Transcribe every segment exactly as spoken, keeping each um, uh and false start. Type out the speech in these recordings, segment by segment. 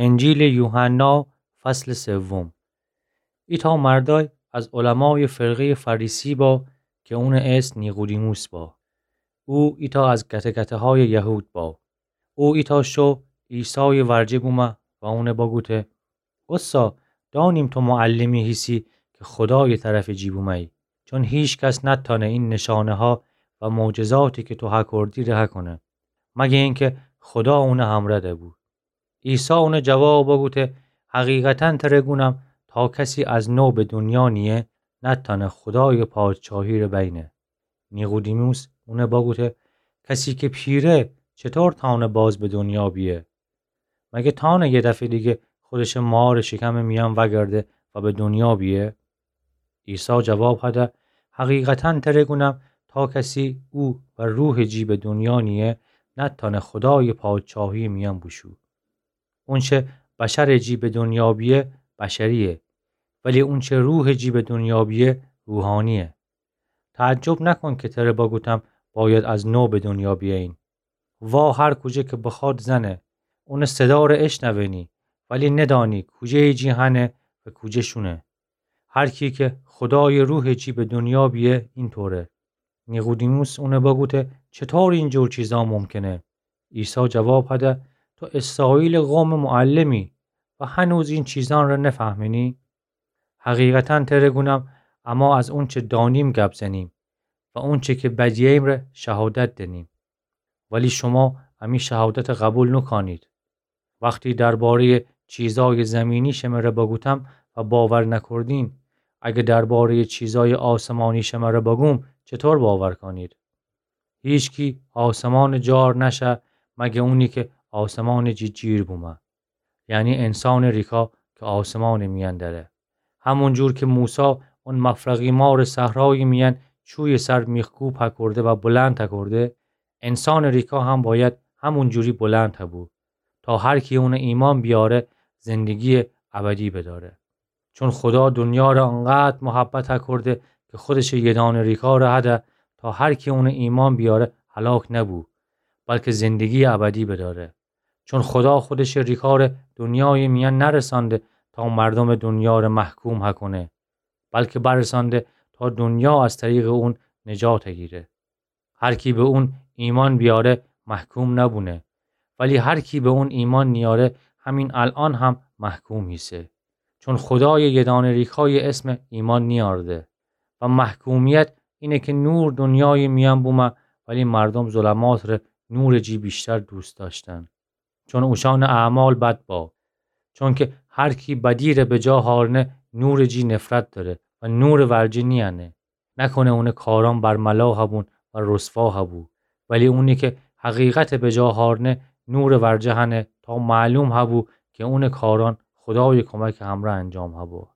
انجیلٚ یوحنا، فصلٚ سوم. ایتأ مردأی از علمایٚ فرقهیٚ فریسی با کی اونٚ اسم نیقودیموس با. او ایتأ از گته‌گته‌هایٚ یهود با. او ایتأ شو عیسایٚ ورجه بومه و اون بگوته: اوستا، دأنیم تو معلمی هیسی کی خودایٚ طرفٚ جی بومهیی، چون هیکس نتأنه این نشانه‌ها و معجزاتی کی تو هکردی ره هکونه، مگه اینکه خودا اونٚ همرأ دبو. عیسی اون جواب بوگوته: حقیقتاً تره گونم، تا کسی از نو به دونیا نییه، نتأنه خودایٚ پادشاهی ره بینه. نیقودیموس اون بوگوته: کسی کی پیره، چطور تأنه باز به دونیا بیه؟ مگه تأنه یه دفعه دیگه خودشه مارٚ شکمٚ میأن وگرده و به دونیا بیه؟ عیسی جواب هده: حقیقتاً تره گونم، تا کسی او و روحٚ جی به دونیا نییه، نتأنه خودایٚ پادشاهیٚ میأن بوشو. اونچه بشرٚ جی به دونیا بیه، بشرییه، ولی اونچه روحٚ جی به دونیا بیه، روحانییه. تعجب نکون کی تره بوگوتم باید از نو به دونیا بیأیین. وا هر کوجه کی بخواد زنه، اونٚ صدا ره اشنونی، ولی ندأنی کوجهیٚ جی هنه و کوجه شونه. هر کی کی خودایٚ روحٚ جی به دونیا بیه، اینطوره. نیقودیموس اون بوگوته: چطور این جور چیزا ممکنه؟ عیسی جواب هده: تو اسرائیلٚ قومٚ معلمی و هنوز این چیزأن ره نفهمنی؟ حقیقتاً تره گونم، اما از اونچه دأنیم گب زنیم و اونچه کی بدیهییم ره شهادت دنیم، ولی شوما امی شهادت قبول نوکانید. وختی دربارهیٚ چیزایٚ زمینی شمره بوگوتم و باور نکردین، اگه دربارهیٚ چیزایٚ آسمانی شمره بوگوم، چطور باور کانید؟ هیکس آسمانٚ جار نشه، مگه اونی کی آسمانٚ جی جیر بومه، یعنی انسانٚ ریکا کی آسمانٚ میأن دأره. همون جور کی موسی اون مفرقی مارٚ صحرایٚ میأن چویٚ سر میخکوب هکرده و بلند هکرده، انسانٚ ریکا هم باید همون جوری بلند هبو، تا هر کی اون ایمأن بیاره، زندگییٚ ابدی بداره. چون خودا دونیا ره انقدر محبت هکرده کی خودشٚ یه دأنه ریکا ره هده، تا هر کی اون ایمأن بیاره هلاک نبو، بلکی زندگییٚ ابدی بداره. چون خودا خودشٚ ریکا ره دونیایٚ میأن نرسأنده تا مردومٚ دونیا ره محکوم هکونه، بلکی برسأنده تا دونیا از طریقٚ اون نجات هگیره. هر کی به اون ایمأن بیاره، محکوم نبونه، ولی هر کی به اون ایمأن نیاره، همین الأن هم محکوم هیسه. چون خودایٚ یه دأنه ریکایٚ اسم ایمأن نیأرده. و محکومیت اینه کی نور دونیایٚ میأن بومه، ولی مردوم ظلمات ره نورٚ جی ویشتر دوست دأشتن، چون اوشأنٚ اعمال بد با. چونکی هر کی بدی ره به جا هارنه، نورٚ جی نفرت دأره و نورٚ ورجه نیأنه، نکنه اونٚ کارأن برملا هبون و رسوا هبو. ولی اونی کی حقیقت به جا هارنه، نورٚ ورجه هنه تا معلوم هبو کی اونٚ کارأن خودایٚ کمکٚ همرأ انجام هبو.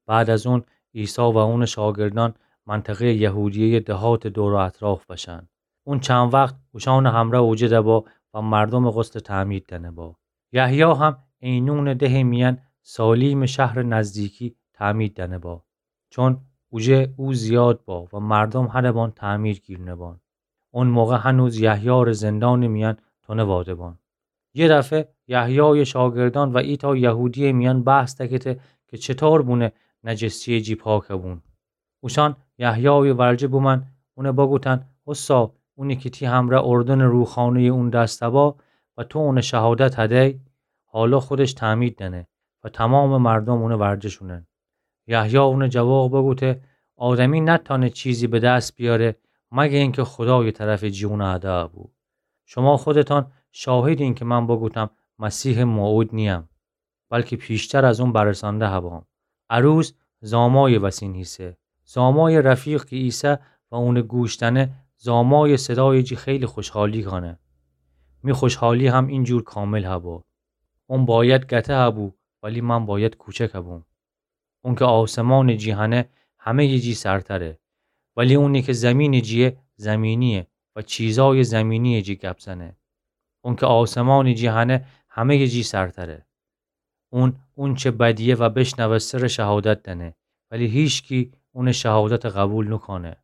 بعد از اون، عیسی و اونٚ شاگردأن منطقهیٚ یهودیهیٚ دهاتٚ دور و اطراف بشن. اون چند وخت اوشأنٚ همرأ اوجه دبا و مردومٚ غسل تعمید دأنه با. یحیی هم عینونٚ دهٚ میأن سالیمٚ شهرٚ نزدیکی تعمید دأنه با. چون اوجه او زیاد با و مردوم هنٚ بان تعمید گیرنه بان. اون موقع هنوز یحیی ره زندانٚ میأن تونه واده بان. یه دفعه یحیایٚ شاگردأن و ایتأ یهودییٚ میأن بحث دکته کی چطور بونه نجسهیٚ جی پاک بون. اوشأن یحیایٚ ورجه بومأن، اون بگوتن: اوستا، اونی کی تی همرأ اردنٚ روخانهیٚ اون دأس دبا و تو اون شهادت هدی، حالا خودش تعمید دأنه و تومامٚ مردوم اونٚ ورجه شونن. یحیی اون جواب بوگوته: آدمی نتأنه چیزی به دس بیاره، مگه اینکه خودایٚ طرفٚ جی اون هده بو. شما خودتأن شاهدین کی من بوگوتم مسیحٚ موعود نییم، بلکی پیشتر از اون برسانده هبام. عروس زامایٚ وسین هیسه. زامایٚ رفیق کی ایسه و اونٚ گوش دأنه، زامایٚ صدایٚ جی خیلی خوشحالی کانه. می خوشحالی هم اینجور کامل هبو. اون باید گته هبو، ولی من باید کوچک هبوم. اونکه آسمانٚ جی هنه همهیٚ جی سرتره، ولی اونی که زمینٚ جیه زمینییه و چیزایٚ زمینییٚ جی گپ زنه. اونکه آسمانٚ جی هنه همهیٚ جی سرتره. اون، اونچه بدیه و بشنوسته ره شهادت دأنه، ولی هیچکی اونٚ شهادت قبول نوکانه.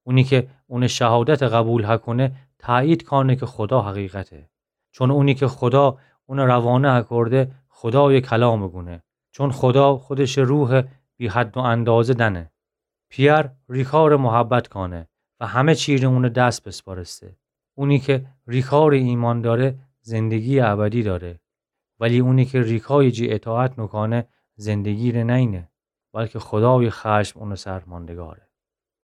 اونی که اونٚ شهادت قبول هکونه، تأیید کانه که خودا حقیقته. چون اونی که خودا اون روانه هکورده، خودایٚ کلامٚ گونه، چون خودا خودشٚ روحٚ بی‌حد و اندازه دأنه. پی‌ار ریکارٚ محبت کانه و همه چی ره اونٚ دس بسپارسته. اونی کی ریکارٚ ایمأن دأره، زندگییٚ ابدی دأره، ولی اونی کی ریکایٚ جی اطاعت نوکانه، زندگی ره نأیینه، بلکی خودایٚ خشم اونٚ سر ماندگاره.